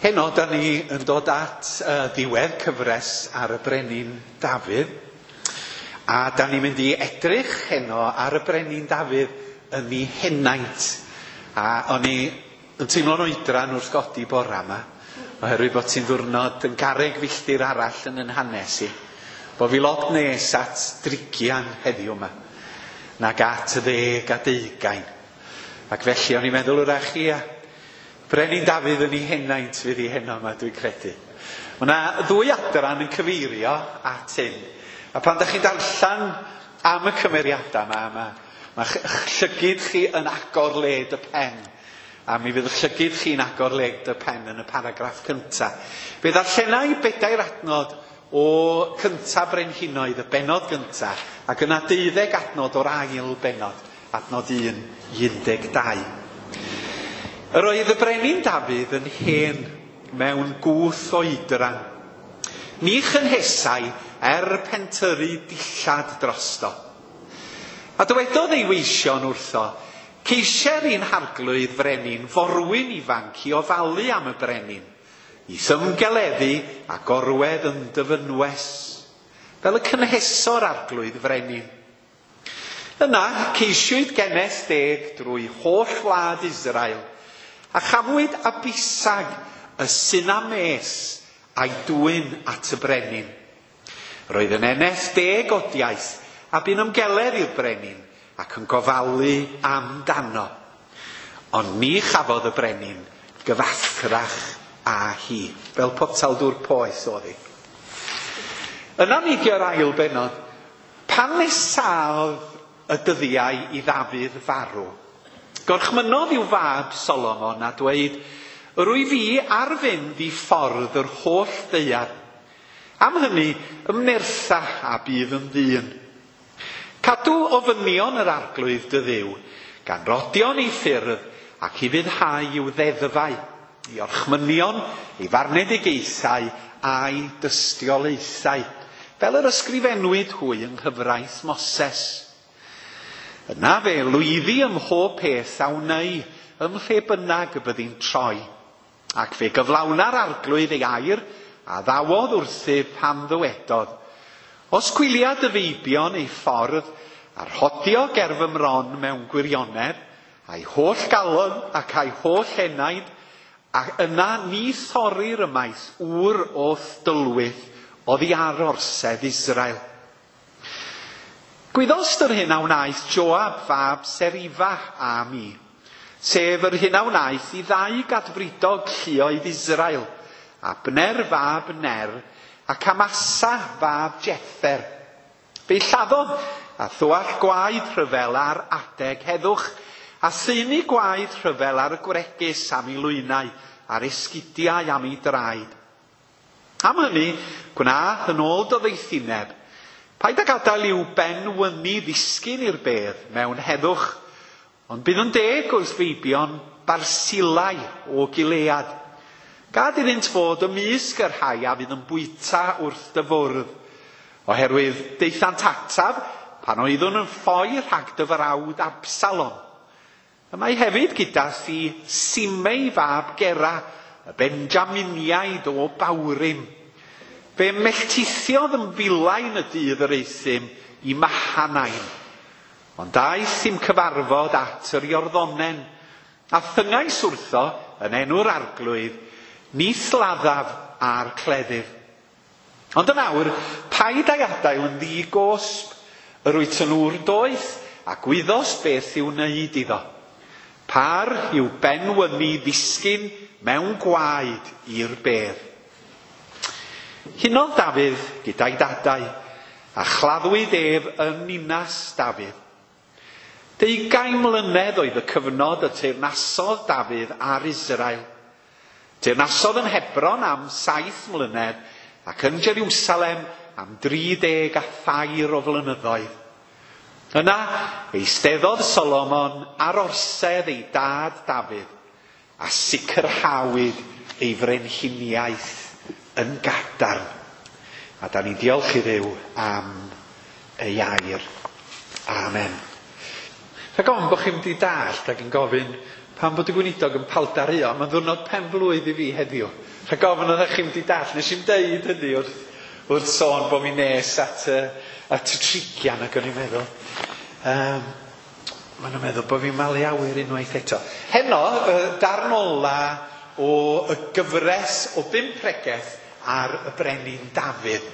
Heno, da ni yn dod at ddiwedd cyfres ar y brenin Dafydd. A da ni'n mynd i edrych heno ar y brenin Dafydd yn ei henaint. A o'n i yn teimlo'n oedran wrth godi bora yma, oherwydd bod ti'n ddwrnod yn garreg filltir arall yn yn hanes i. Bo fi lot nes at drigian heddiw yma, nag at 10 a 20. Ac felly o'n i'n meddwl wrach ia, Brenin Dafydd yn ei henaint fydd hi heno yma, dwi'n credu. Mae yna ddwy adran yn cyfeirio at hyn. A pan da chi'n darllen am y cymeriadau yma, mae llygid chi yn agor led y pen. A mi fydd llygid chi'n agor led y pen yn y paragraff cyntaf. Fe ddarllena i bedair adnod o cyntaf Brenhinoedd, y bennod gyntaf, ac yna 12 adnod o'r ail bennod, adnod 1 i 12. Yr oedd y brenin Dafydd yn hen mewn gwth oedran. Ni chynhesai er pentyrru dillad drosto. A dywedodd ei weision wrtho, ceisier i'n harglwydd frenin forwyn ifanc i ofalu am y brenin, i ymgeleddu a gorwedd yn dyfynwes, fel y cynheso'r arglwydd frenin. Yna ceisiwyd geneth deg drwy holl wlad Israel, a chafwyd Abisag y Sunames a'i dwyn at y brenin. Roedd yn eneth deg odiaeth a bu'n ymgeledd i'r brenin ac yn gofalu amdano. Ond ni chafodd y brenin gyfathrach â hi, fel potel dŵr poeth oedd hi. Yna nidio'r ail bennod, pan nesaodd y dyddiau i Ddafydd farw, gorchmynnodd i'w fab Solomon a dweud, rwy fi ar fynd i ffordd yr holl ddaear. Am hynny, ymnertha a bydd yn ddyn. Cadw ofynion yr arglwydd dy Dduw, gan rodion ei ffyrdd ac i fyddhau i'w ddeddfau, i orchmynion, ei farnedigaethau a'i dystiolaethau, fel yr ysgrifennwyd hwy yng nghyfraith Moses. Yna fe lwyddi ym mhob peth a wnei, ym mhle bynnag y byddi'n troi. Ac fe gyflawna'r arglwydd ei air a ddawodd wrthyf pan ddywedodd, os gwylia dy feibion ei ffordd a rhodio ger fy mron mewn gwirionedd, a'i holl galon ac a'i holl enaid, ac yna ni thorir ymaith ŵr o'th dylwyth oddi ar orsedd Israel. Gwyddost yr hyn a wnaeth Joab fab Serifa a mi, sef yr hyn a wnaeth i ddau gadfridog lluoedd Israel, Abner fab Ner ac Amasa fab Jether. Fe'i lladdodd a thywallt gwaed rhyfel ar adeg heddwch, a thaenu gwaed rhyfel ar y gwregys am ei lwynau, a'r esgidiau am ei draed. Am hynny, gwnaeth yn ôl dy ddoethineb, paid â gadael i'w ben wyni ddisgyn i'r bedd mewn heddwch, ond bydd yn deg wrth feibion Barsilai o Gilead. Gad iddynt fod ymysg y rhai a fydd yn bwyta wrth dy fwrdd, oherwydd daethant ataf pan oeddwn yn ffoi rhag dy frawd Absalom. Y mae hefyd gyda thi Simei fab Gera, y Benjaminiaid o Bawrim. Fe melltithiodd yn filain y dydd yr euthum i Mahanaim. Ond daeth i'm cyfarfod at yr Iorddonen, a thyngais wrtho yn enw'r arglwydd, ni laddaf a'r cleddyf. Ond yn awr, paid â'i adael yn ddi-gosb, yr wyt yn ŵr doeth, a gwyddost beth i'w wneud iddo. Par i'w benwyni ddisgyn mewn gwaed i'r bedd. Hunodd Dafydd gyda'i dadau, a chladdwyd ef yn ninas Dafydd. 20 mlynedd oedd y cyfnod y teyrnasodd Dafydd ar Israel. Teyrnasodd yn Hebron am 7 mlynedd ac yn Jerusalem am 33 o flynyddoedd. Yna eisteddodd Solomon ar orsedd ei dad Dafydd a sicrhawyd ei frenhiniaeth yn gadarn. A da ni'n diolch i Dduw am ei air. Amen. Rhag ofn bod chi'n mynd i dallt ac yn gofyn pam bod y gweinidog yn paldaruo, mae'n ddiwrnod pen blwydd i fi heddiw. Rhag ofn oeddech chi'n mynd i dall, nes i'm deud hynny wrth sôn bod mi nes at y trigian, ac o'n i'n meddwl, maen nhw'n meddwl bod fi'n malu awyr unwaith eto. Heno, darn ola o y gyfres o 5 pregeth ar y brenin Dafydd.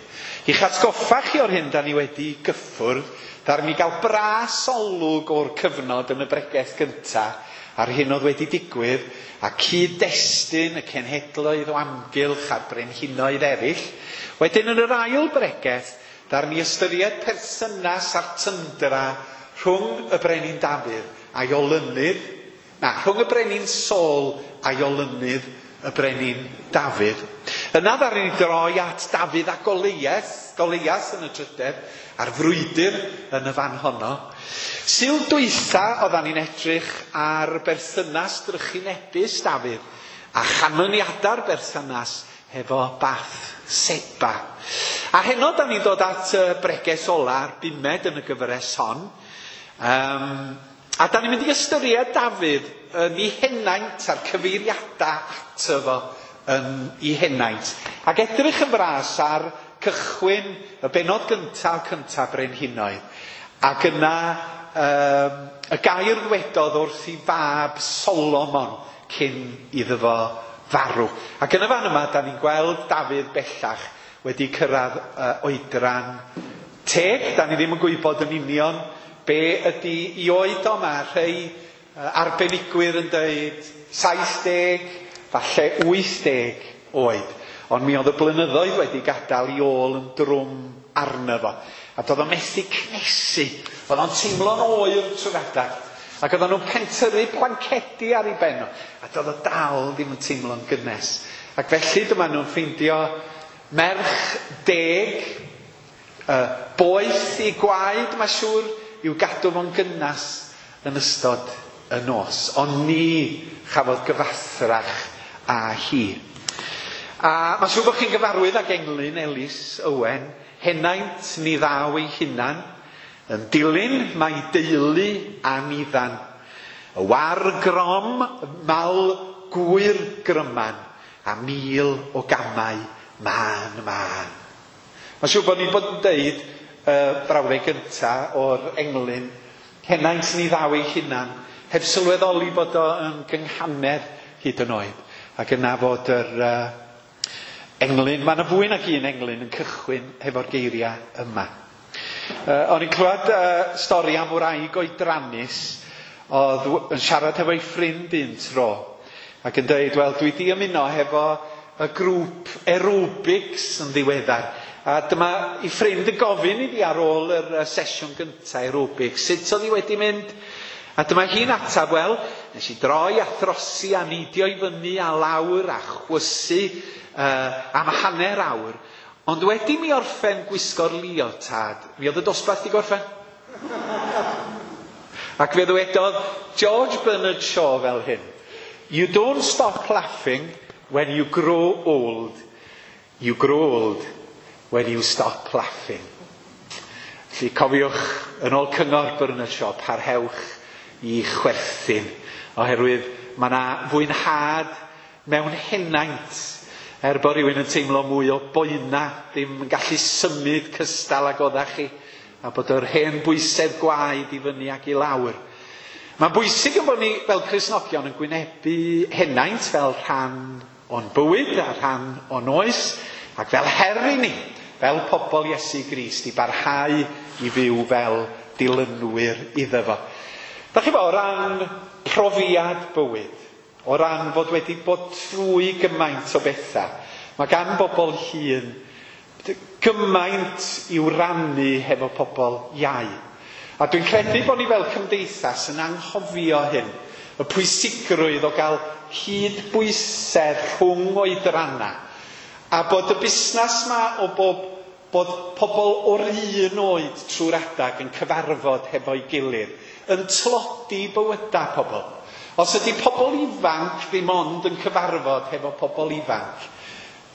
I'ch atgoffa chi o'r hyn da ni wedi gyffwrdd, ddaru ni gael bras olwg o'r cyfnod yn y bregeth gyntaf a'r hyn oedd wedi digwydd, a cyd-destun y cenhedloedd o amgylch a'r brenhinoedd eraill. Wedyn yn yr ail bregeth, ddaru ni ystyried perthynas a'r tyndra rhwng y brenin Dafydd a'i olynydd, na, rhwng y brenin Saul a'i olynydd y brenin Dafydd. Yna ddaru ni droi at Dafydd a Goliath yn y drydedd, a'r frwydr yn y fan honno. Sul dwytha oeddan ni'n edrych ar berthynas drychinebus Dafydd a chanlyniadau'r berthynas hefo Bathseba. A heno da ni'n dod at y bregeth ola'r bumed yn y gyfres hon. A da ni'n mynd i ystyried Dafydd yn ei henaint a'r cyfeiriadau ato fo yn ei henaint. Ac edrych yn fras ar cychwyn y bennod gyntaf brenhinoedd. Ac yna y gair ddwedodd wrth i fab Solomon cyn iddo fo farw. Ac yn y fan yma, da ni'n gweld Dafydd bellach wedi cyrraedd oedran teg. Da ni ddim yn gwybod yn union be ydy i oed o. Mae rhai arbenigwyr yn dweud 70, falle 80 oed. Ond mi oedd y blynyddoedd wedi gadael i ôl yn drwm arno fo. A doedd o'n methu cnesu. Oedd o'n teimlo'n oer trwy'r adag. Ac oedden nhw'n pentyrru blancedi ar ei ben o. A doedd o dal ddim yn teimlo'n gynnes. Ac felly dyma nhw'n ffeindio merch deg, boeth i gwaed, mae siŵr, i'w gadw fo'n gynnas yn ystod y nos. Ond ni chafodd gyfathrach â hi. A mae'n siŵr bod chi'n gyfarwydd ag englyn Ellis Owen, henaint ni ddaw ei hunan, yn dilyn mae deulu a niddan. Y war grom, mal gwyr gryman, a 1000 o gamau mân mân. Mae'n siŵr bod ni'n bod yn deud brawddeg gyntaf o'r englyn, henaint ni ddaw ei hunan, heb sylweddoli bod o yn gynghanedd hyd yn oed. Ac yna fod yr englyn, mae yna fwy nag un englyn yn cychwyn hefo'r geiriau yma. O'n i'n clywed stori am wraig oedrannus oedd yn siarad hefo'i ffrind un tro ac yn dweud, wel, dwi di ymuno hefo y grŵp aerobics yn ddiweddar. A dyma i ffrind yn gofyn iddi ar ôl yr sesiwn gyntaf aerobics, sut oedd hi wedi mynd? A dyma hi'n atab, wel, nes i droi a throsi a neidio i fyny a lawr a chwysu am hanner awr. Ond wedi mi orffen gwisgo'r leotard, mi oedd y dosbarth i gorffen. Ac fe ddywedodd George Bernard Shaw fel hyn: You don't stop laughing when you grow old. You grow old when you stop laughing. Felly cofiwch, yn ôl cyngor Bernard Shaw, parhewch i chwerthin, oherwydd mae yna fwynhad mewn henaint. Er bod rhywun yn teimlo mwy o boena, ddim yn gallu symud cystal ag oeddach chi, a bod yr hen bwysedd gwaed i fyny ac i lawr. Mae'n bwysig yn bod ni fel Cristnogion yn gwynebu henaint fel rhan o'n bywyd a rhan o'n oes, ac fel her i ni, fel pobl Iesu Grist, i barhau i fyw fel dilynwyr iddo fo. Da chi bo, o ran profiad bywyd, o ran fod wedi bod trwy gymaint o bethau, mae gan bobl hŷn gymaint i'w rannu hefo pobl iau. A dwi'n credu bod ni fel cymdeithas yn anghofio hyn, y pwysigrwydd o gael cydbwysedd rhwng oedrannau, a bod y busnes ma o bod pobl o'r un oed trwy'r adag yn cyfarfod hefo'i gilydd, yn tlodi bywydau pobl. Os ydy pobl ifanc ddim ond yn cyfarfod hefo pobl ifanc,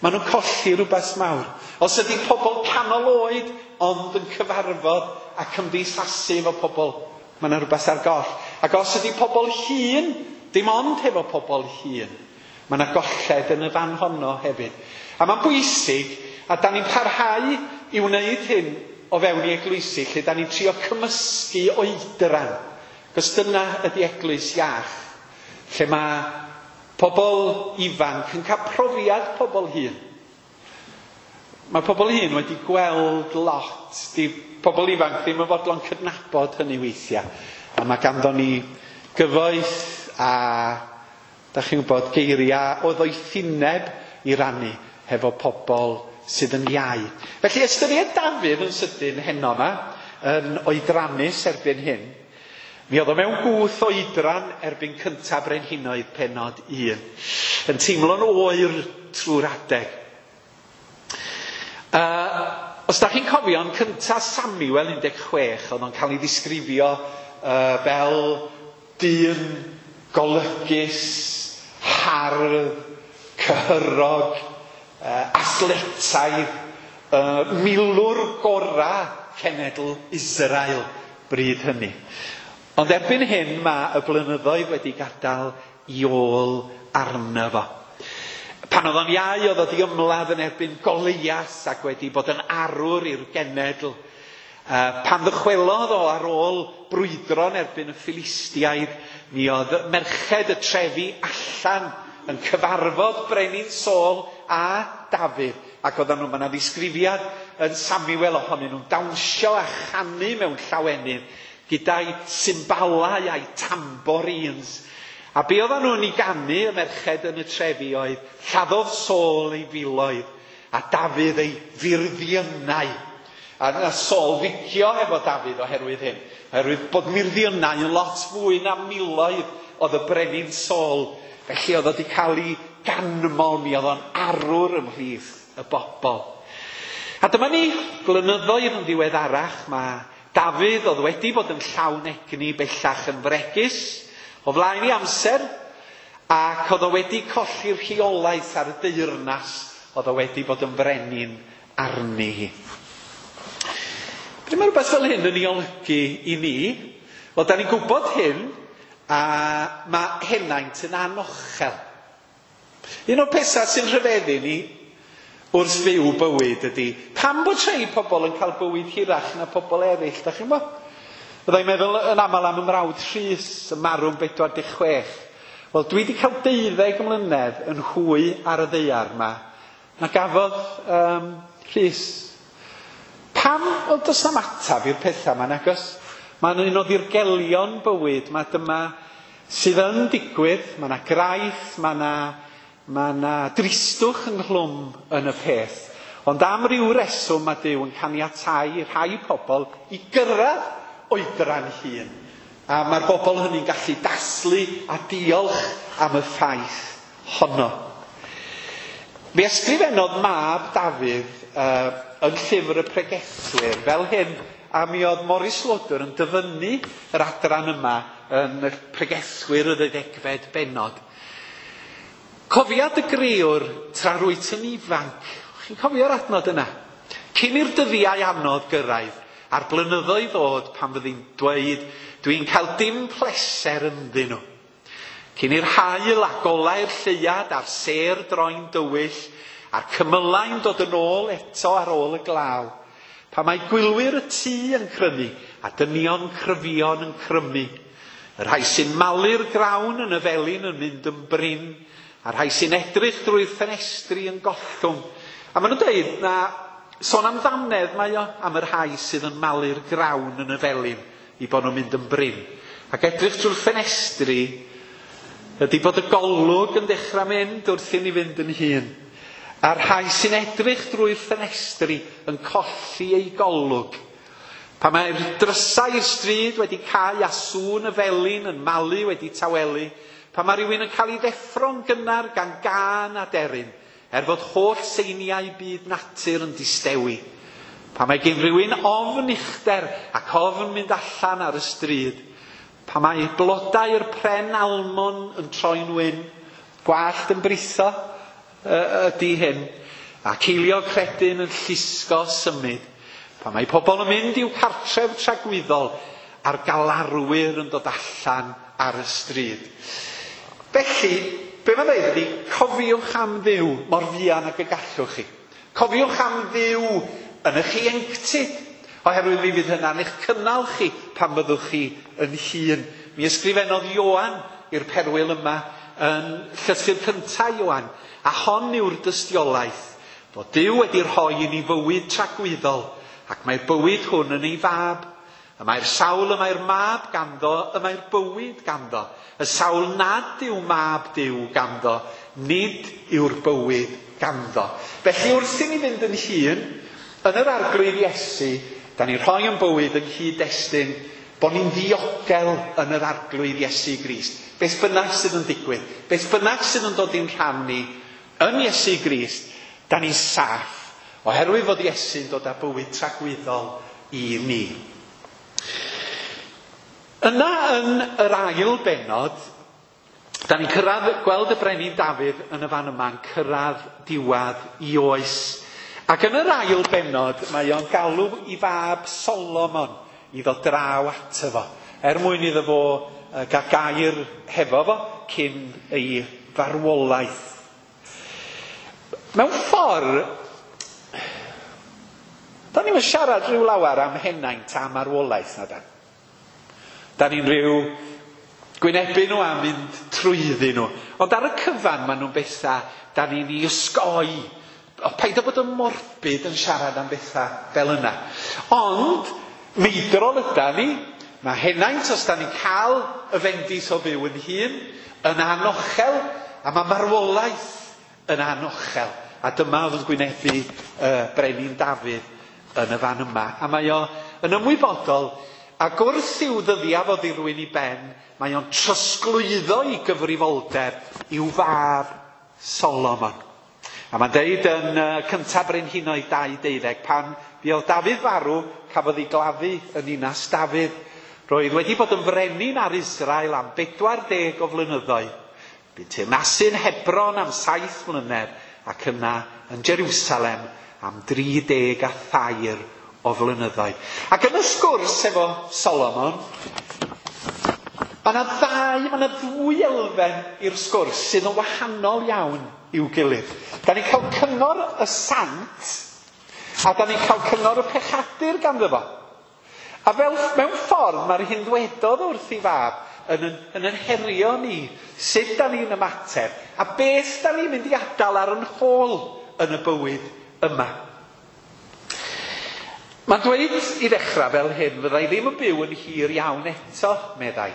maen nhw'n colli rhywbeth mawr. Os ydy pobl canol oed ond yn cyfarfod a cymdeithasu efo pobl, mae yna rhywbeth ar goll. Ac os ydy pobl hŷn, dim ond hefo pobl hŷn, Mae yna golled yn y fan honno hefyd. A mae'n bwysig, a da ni'n parhau i wneud hyn o fewn i eglwysi, lle da ni'n trio cymysgu oedran. Cos dyna ydy eglwys iach, lle mae pobl ifanc yn cael profiad pobl hŷn. Mae pobl hŷn wedi gweld lot. Di pobl ifanc ddim yn fodlon cydnabod hynny weithiau. A mae ganddo ni gyfoeth a, da chi'n gwybod, geiriau o ddoethineb i rannu hefo pobl sydd yn iau. Felly ystyried Dafydd yn sydyn heno yma, yn oedrannus erbyn hyn. Mi oedd o mewn gwth oedran erbyn cyntaf Brenhinoedd penod 1. Yn teimlo'n oer trwy'r adeg. Os da chi'n cofio, yn cyntaf Samuel 16, oedd o'n cael ei ddisgrifio fel dyn golygus, hardd, cyhyrog, athletaidd, milwr gora cenedl Israel bryd hynny. Ond erbyn hyn mae y blynyddoedd wedi gadael i ôl arno fo. Pan oedd o'n iau, oedd o wedi ymladd yn erbyn Goliath ac wedi bod yn arwr i'r genedl. Pan ddychwelodd o ar ôl brwydro yn erbyn y Philistiaid, mi oedd merched y trefi allan yn cyfarfod Brenin Saul a Dafydd. Ac oedden nhw, mae yna ddisgrifiad yn Samuel ohonyn nhw'n dawnsio a chanu mewn llawenydd gyda'i symbalau a'i tambourines. A be oedden nhw'n ei ganu y merched yn y trefi oedd lladdodd Saul ei filoedd a Dafydd ei furddiynau. A na Saul ddicio efo Dafydd oherwydd hyn. Oherwydd bod murddiynau yn lot fwy na miloedd oedd y brenin Saul. Felly oedd o wedi cael ei ganmol, mi oedd o'n arwr ymhlith y bobl. A dyma ni, blynyddoedd yn ddiweddarach, mae Dafydd oedd wedi bod yn llawn egni bellach yn fregus o flaen ei amser, ac oedd o wedi colli'r rheolaeth ar y deyrnas oedd o wedi bod yn frenin arni hi. Pryd mae rhywbeth fel hyn yn ei olygu i ni? Wel, da ni'n gwybod hyn, a mae henaint yn anochel. Un o'r pethau sy'n rhyfeddu ni wrth fyw bywyd ydy, pam bod rhai pobl yn cael bywyd hirach na pobl eraill, da chi'n gwybod? Byddai'n meddwl yn aml am ymrawd Rhys yn marw'n 46. Wel, dwi wedi cael 12 mlynedd yn hwy ar y ddaear yma na gafodd Rhys. Pam? Wel, does na'm atab i'r pethau yma, nagos? Mae'n un o ddirgelion bywyd, mae dyma sydd yn digwydd, mae yna graith, mae yna dristwch ynghlwm yn y peth. Ond am ryw reswm mae Duw yn caniatáu rhai pobl i gyrraedd oedran hŷn. A mae'r bobl hynny'n gallu dathlu a diolch am y ffaith honno. Mi ysgrifennodd mab Dafydd yn llyfr y pregethwyr fel hyn, a mi oedd Morris Loder yn dyfynnu yr adran yma yn y pregethwyr y ddeuddegfed bennod. Cofia dy grewr tra rwyt yn ifanc. Chi'n cofio'r adnod yna? Cyn i'r dyddiau anodd gyrraedd, a'r blynyddoedd ddod pan fyddi'n dweud, dwi'n cael dim pleser ynddyn nhw. Cyn i'r haul a golau'r lleuad a'r sêr droi'n dywyll, a'r cymylau'n dod yn ôl eto ar ôl y glaw. Pan mae gwylwyr y tŷ yn crynu a dynion cryfion yn crymu. Y rhai sy'n malu'r grawn yn y felin yn mynd yn brin, a'r rhai sy'n edrych drwy'r ffenestri yn gollwng. A maen nhw'n dweud na sôn am ddannedd mae o am y rhai sydd yn malu'r grawn yn y felin i bod nhw'n mynd yn brin. Ac edrych drwy'r ffenestri ydy bod y golwg yn dechrau mynd wrth i ni fynd yn hŷn. A'r rhai sy'n edrych drwy'r ffenestri yn colli eu golwg. Pan mae'r drysau i'r stryd wedi cau a sŵn y felin yn malu wedi tawelu, pan mae rhywun yn cael ei ddeffro'n gynnar gan gân a deryn, er fod holl seiniau byd natur yn distewi. Pan mae gen rhywun ofn uchder ac ofn mynd allan ar y stryd, pan mae blodau'r pren almon yn troi'n wyn, gwallt yn britho ydy hyn, a ceilio credyn yn llusgo symud. Pan mae pobl yn mynd i'w cartref tragwyddol a'r galarwyr yn dod allan ar y stryd. Felly, Be mae'n dweud ydy, cofiwch am Dduw mor fuan ag y gallwch chi. Cofiwch am Dduw yn eich ieuenctid, oherwydd mi fydd hynna'n eich cynnal chi pan fyddwch chi yn hŷn. Mi ysgrifennodd Ioan i'r perwyl yma yn llythyr cyntaf Ioan, a hon yw'r dystiolaeth fod Duw wedi rhoi i ni fywyd tragwyddol, ac mae'r bywyd hwn yn ei fab. Y mae'r sawl y mae'r mab ganddo, y mae'r bywyd ganddo. Y sawl nad yw mab Duw ganddo, nid yw'r bywyd ganddo. Felly wrth i ni fynd yn hŷn, yn yr Arglwydd Iesu, da ni'n rhoi yn bywyd yng nghyd-destun bod ni'n ddiogel yn yr Arglwydd Iesu Grist. Beth bynnag sydd yn digwydd, beth bynnag sydd yn dod i'n rhan ni yn Iesu Grist, da ni'n saff, oherwydd fod Iesu'n dod â bywyd tragwyddol i ni. Yna yn yr ail bennod, da ni'n cyrraedd, gweld y brenin Dafydd yn y fan yma'n cyrraedd diwedd i oes. Ac yn yr ail bennod, mae o'n galw i fab Solomon i ddod draw ato fo, er mwyn iddo fo gael gair hefo fo cyn ei farwolaeth. Mewn ffordd, da ni'n siarad rhyw lawer am henaint a marwolaeth na dan. Da ni'n rhyw gwynebu nhw a mynd trwyddyn nhw. Ond ar y cyfan maen nhw'n bethau da ni'n ei osgoi. O, paid â bod yn morbid yn siarad am bethau fel yna. Ond meidrol yda ni. Mae henaint, os da ni'n cael y fendith o fyw yn hun, yn anochel, a mae marwolaeth yn anochel. A dyma oedd yn gwynebu Brenin Dafydd yn y fan yma. A mae o yn ymwybodol, ac wrth i'w ddyddiau fod i rywun i ben, mae o'n trosglwyddo i gyfrifoldeb i'w fab Solomon. A mae'n deud yn cyntaf Brenhinoedd 2:12, pan fuodd Dafydd farw, cafodd ei gladdu yn ninas Dafydd. Roedd wedi bod yn frenin ar Israel am 40 o flynyddoedd. Bu'n teyrnasu'n Hebron am 7 mlynedd ac yna yn Jerusalem am 33 o flynyddoedd. Ac yn y sgwrs efo Solomon, mae yna ddwy elfen i'r sgwrs sydd yn wahanol iawn i'w gilydd. Da ni'n cael cyngor y sant, a da ni'n cael cyngor y pechadur ganddo fo. A fel mewn ffordd mae'r hyn ddwedodd wrth ei fab yn herio ni sut da ni'n ymateb a beth da ni'n mynd i adael ar yn hôl yn y bywyd yma. Mae'n dweud i ddechrau fel hyn, fydda i ddim yn byw yn hir iawn eto, meddai.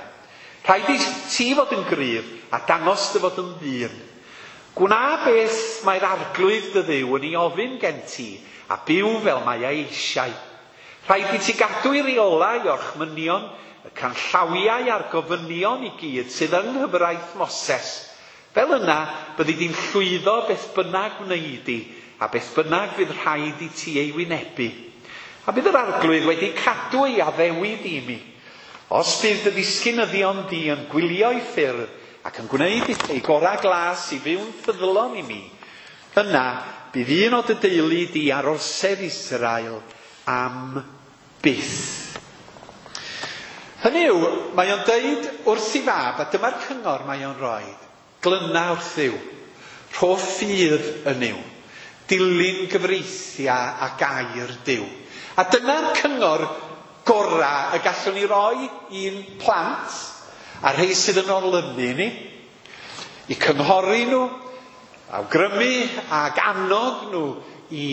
Rhaid i ti fod yn gryf a dangos dy fod yn ddyn. Gwna beth mae'r Arglwydd dy Dduw yn ei ofyn gen ti a byw fel mae ei eisiau. Rhaid i ti gadw i reolau orchmynion, y canllawiau a'r gofynion i gyd sydd yng nghyfraith Moses. Fel yna, byddi di'n llwyddo beth bynnag wnei di, a beth bynnag fydd rhaid i ti ei wynebu. A bydd yr Arglwydd wedi cadw ei addewid i mi. Os bydd dy ddisgynyddion di yn gwylio i ffyrdd ac yn gwneud ei gorau glas i fyw'n ffyddlon i mi, yna bydd un o dy deulu di ar orsedd Israel am byth. Hynny yw, mae o'n deud wrth ei fab, a dyma'r cyngor mae o'n rhoi, glyna wrth Dduw, rho ffydd yn Nuw, dilyn gyfreithiau a gair Duw. A dyna'r cyngor gorau y gallwn ni roi i'n plant a rhai sydd yn olynu ni, i cynghori nhw, awgrymu ac annog nhw i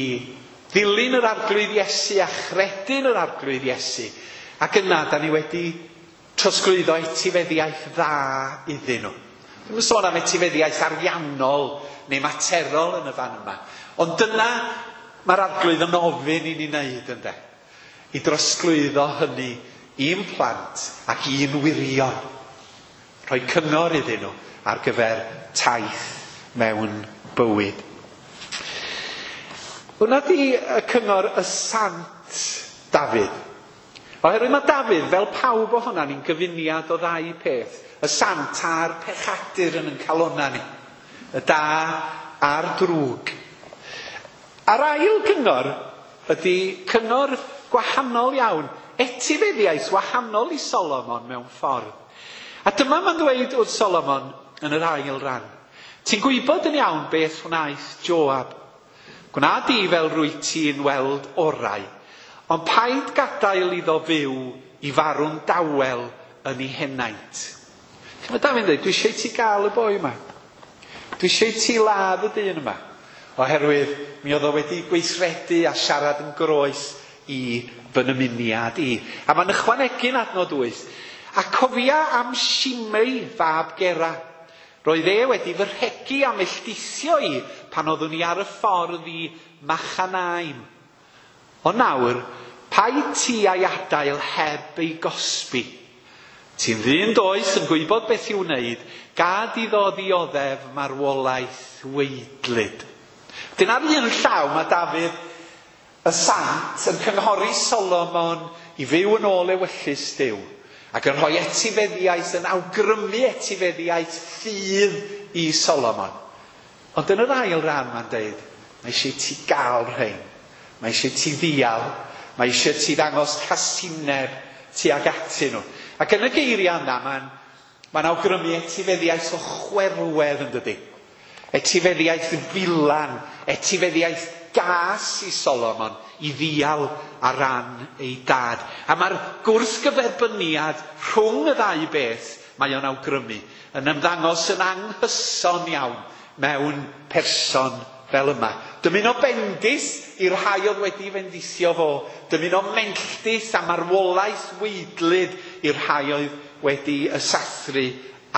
ddilyn yr Arglwydd Iesu a chredu'n yr Arglwydd Iesu. Ac yna, da ni wedi trosglwyddo etifeddiaeth dda iddyn nhw. Dwi'm yn sôn am etifeddiaeth ariannol neu materol yn y fan yma. Ond dyna mae'r Arglwydd yn ofyn i ni wneud, ynde? I drosglwyddo hynny i'n plant ac i'n wirion. Rhoi cyngor iddyn nhw ar gyfer taith mewn bywyd. Hwna di y cyngor y Sant Dafydd. Oherwydd mae Dafydd, fel pawb ohonan ni'n gyfuniad o ddau peth. Y sant a'r pechadur yn ein calonna ni. Y da a'r drwg. A'r ail gyngor ydy cyngor gwahanol iawn. Etifeddiaeth wahanol i Solomon mewn ffordd. A dyma mae'n dweud wrth Solomon yn yr ail ran. Ti'n gwybod yn iawn beth wnaeth Joab. Gwna di fel rwy ti'n weld orau, ond paid gadael iddo fyw i farw'n dawel yn ei henaint. Mae Dafydd yn dweud, dwi eisiau ti gael y boi yma. Dwi eisiau ti ladd y dyn yma. Oherwydd mi oedd o wedi gweithredu a siarad yn groes i fy nymuniad i. A mae'n ychwanegu'n adnod 8. A cofia am Simei fab Gera. Roedd e wedi fy rhegi a melltithio i pan oeddwn i ar y ffordd i Machanaim. Ond nawr, paid ti a'i adael heb ei gosbi. Ti'n ddyn doeth yn gwybod beth i'w wneud, gad iddo ddioddef marwolaeth waedlyd. Dyna'r un llaw mae Dafydd y sant yn cynghori Solomon i fyw yn ôl ewyllys Duw ac yn rhoi etifeddiaeth, yn awgrymu etifeddiaeth ffydd i Solomon. Ond yn yr ail ran mae'n deud, mae eisiau ti gael rhain. Mae eisiau ti ddial. Mae eisiau ti ddangos casineb tuag atyn nhw. Ac yn y geiriau yna, mae'n awgrymu etifeddiaeth o chwerwedd yn dydy. Etifeddiaeth filan, etifeddiaeth gas i Solomon i ddial ar ran ei dad. A mae'r gwrthgyferbyniad rhwng y ddau beth mae o'n awgrymu yn ymddangos yn anghyson iawn mewn person fel yma. Dymuno bendith i'r rhai oedd wedi fendithio fo. Dymuno melltith a marwolaeth waedlyd i'r rhai oedd wedi ysathru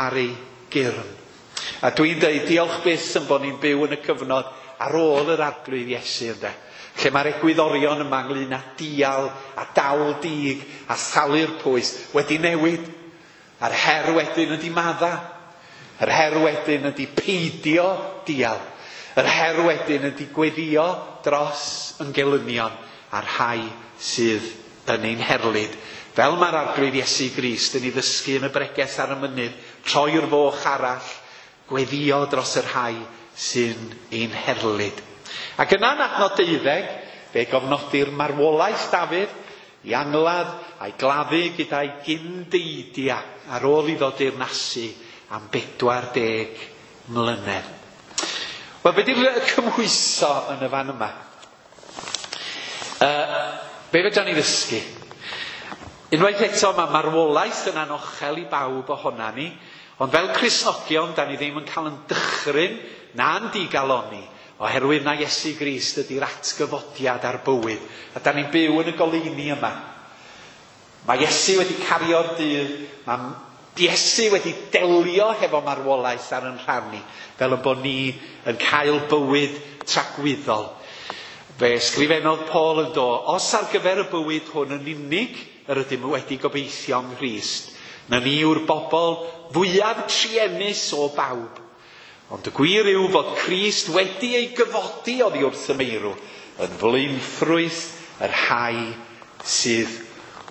ar ei gyrn. A dwi'n dweud diolch byth yn bod ni'n byw yn y cyfnod ar ôl yr Arglwydd Iesu, ynde. Lle mae'r egwyddorion yma ynglyn â dial a dal dig a thalu'r pwys wedi newid. A'r her wedyn ydy madda. Yr her wedyn ydy peidio dial. Yr her wedyn ydy gweddio dros yn gelynion a'r rhai sydd yn ein herlid. Fel mae'r Arglwydd Iesu Grist yn ei ddysgu yn y bregeth ar y mynydd, troi'r foch arall, gweddio dros y rhai sy'n ein herlid. Ac yna yn adnod 12, fe gofnodir marwolaeth Dafydd i angladd a'i gladdu gyda'i gyndeidia ar ôl iddo deyrnasu am 40 mlynedd. Wel, be di'r cymhwyso yn y fan yma? Be fedran ni ddysgu? Unwaith eto, mae marwolaeth yn anochel i bawb ohona ni, ond fel Cristnogion, da ni ddim yn cael yn dychryn na'n digaloni, oherwydd na Iesu Grist ydy'r atgyfodiad a'r bywyd. A da ni'n byw yn y goleuni yma. Mae Iesu wedi cario'r dydd, mae Iesu wedi delio hefo marwolaeth ar yn rhan ni, fel y bod ni yn cael bywyd tragwyddol. Fe ysgrifennodd Paul yn do, os ar gyfer y bywyd hwn yn unig yr ydym wedi gobeithio yng Nghrist, na ni yw'r bobl fwyaf truenus o bawb. Ond y gwir yw fod Crist wedi ei gyfodi oddi wrth y meirw yn flaenffrwyth y rhai sydd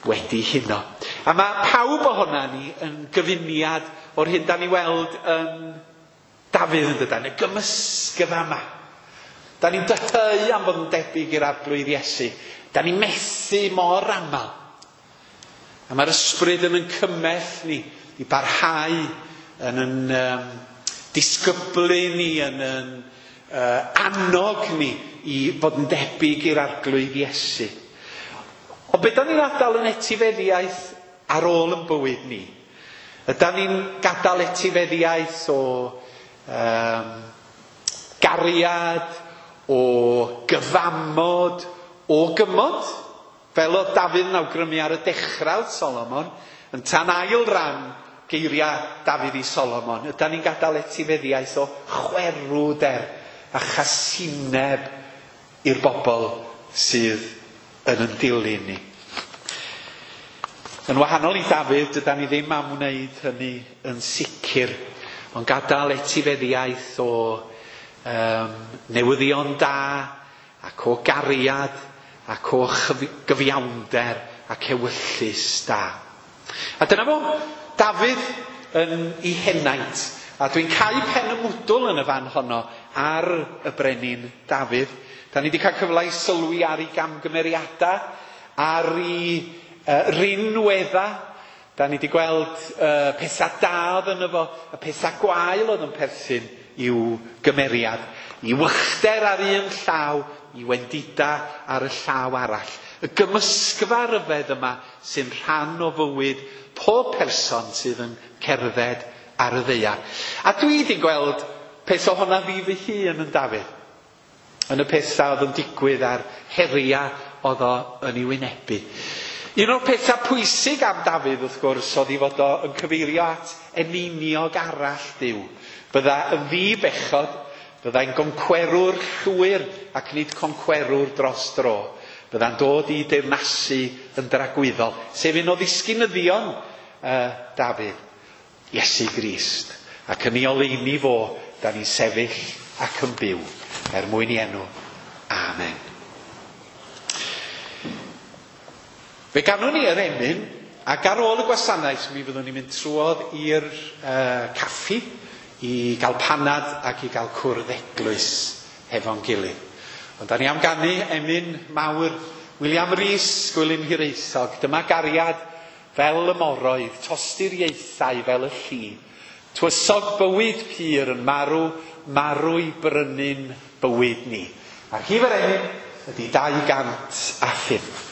wedi huno. A mae pawb ohona ni yn gyfuniad o'r hyn da ni weld yn Dafydd yn dydan, y gymysgfa yma. Da ni'n dyheu am fod yn debyg i'r Arglwydd Iesu. Da ni'n methu mor aml. A mae'r ysbryd yn yn cymell ni i barhau yn yn disgyblu ni, yn yn annog ni i fod yn debyg i'r Arglwydd Iesu. Ond be da ni'n adael yn etifeddiaeth ar ôl yn bywyd ni? Ydan ni'n gadael etifeddiaeth o gariad, o gyfamod, o gymod? Fel oedd Dafydd yn awgrymu ar y dechrau Solomon, yn tan ail ran geiriau Dafydd i Solomon, ydan ni'n gadael etifeddiaeth o chwerwder a chasineb i'r bobl sydd yn yn dilyn ni. Yn wahanol i Dafydd, dydan ni ddim am wneud hynny yn sicr, ond gadael etifeddiaeth o newyddion da ac o gariad ac o gyfiawnder ac ewyllys da. A dyna fo, Dafydd yn ei henaint. A dwi'n cau pen y mwdwl yn y fan honno ar y brenin Dafydd. Da ni wedi cael cyfle i sylwi ar ei gamgymeriadau, ar ei rinwedda. Da ni wedi gweld pethau da oedd yno fo, y pethau gwael oedd yn perthyn i'w gymeriad. I wychder ar un llaw, i wendida ar y llaw arall. Y gymysgfa ryfedd yma sy'n rhan o fywyd pob person sydd yn cerdded ar y ddaear. A dwi wedi gweld peth ohona fi fy hun yn Dafydd. Yn y pethau oedd yn digwydd a'r heriau oedd o yn ei wynebu. Un o'r pethau pwysig am Dafydd, wrth gwrs, oedd ei fod o yn cyfeirio at eneiniog arall Duw. Bydda yn ddi-bechod, byddai'n goncwerwr llwyr ac nid concwerwr dros dro. Bydda'n dod i deyrnasu yn dragwyddol, sef un o ddisgynyddion Dafydd, Iesu Grist. Ac yn ei oleuni fo, da ni'n sefyll ac yn byw, er mwyn i enw. Amen. Fe ganwn ni yr emyn, ac ar ôl y gwasanaeth mi fyddwn ni'n mynd trwodd i'r caffi i gael panad ac i gael cwrdd eglwys hefo'n gilydd. Ond da ni am ganu emyn mawr William Rees, Gwilym Hiraethog. Dyma gariad fel y moroedd, tosturiaethau fel y lli. Tywysog bywyd pur yn marw, marw i brynu'n bywyd ni. A'r rhif yr emyn ydy 205.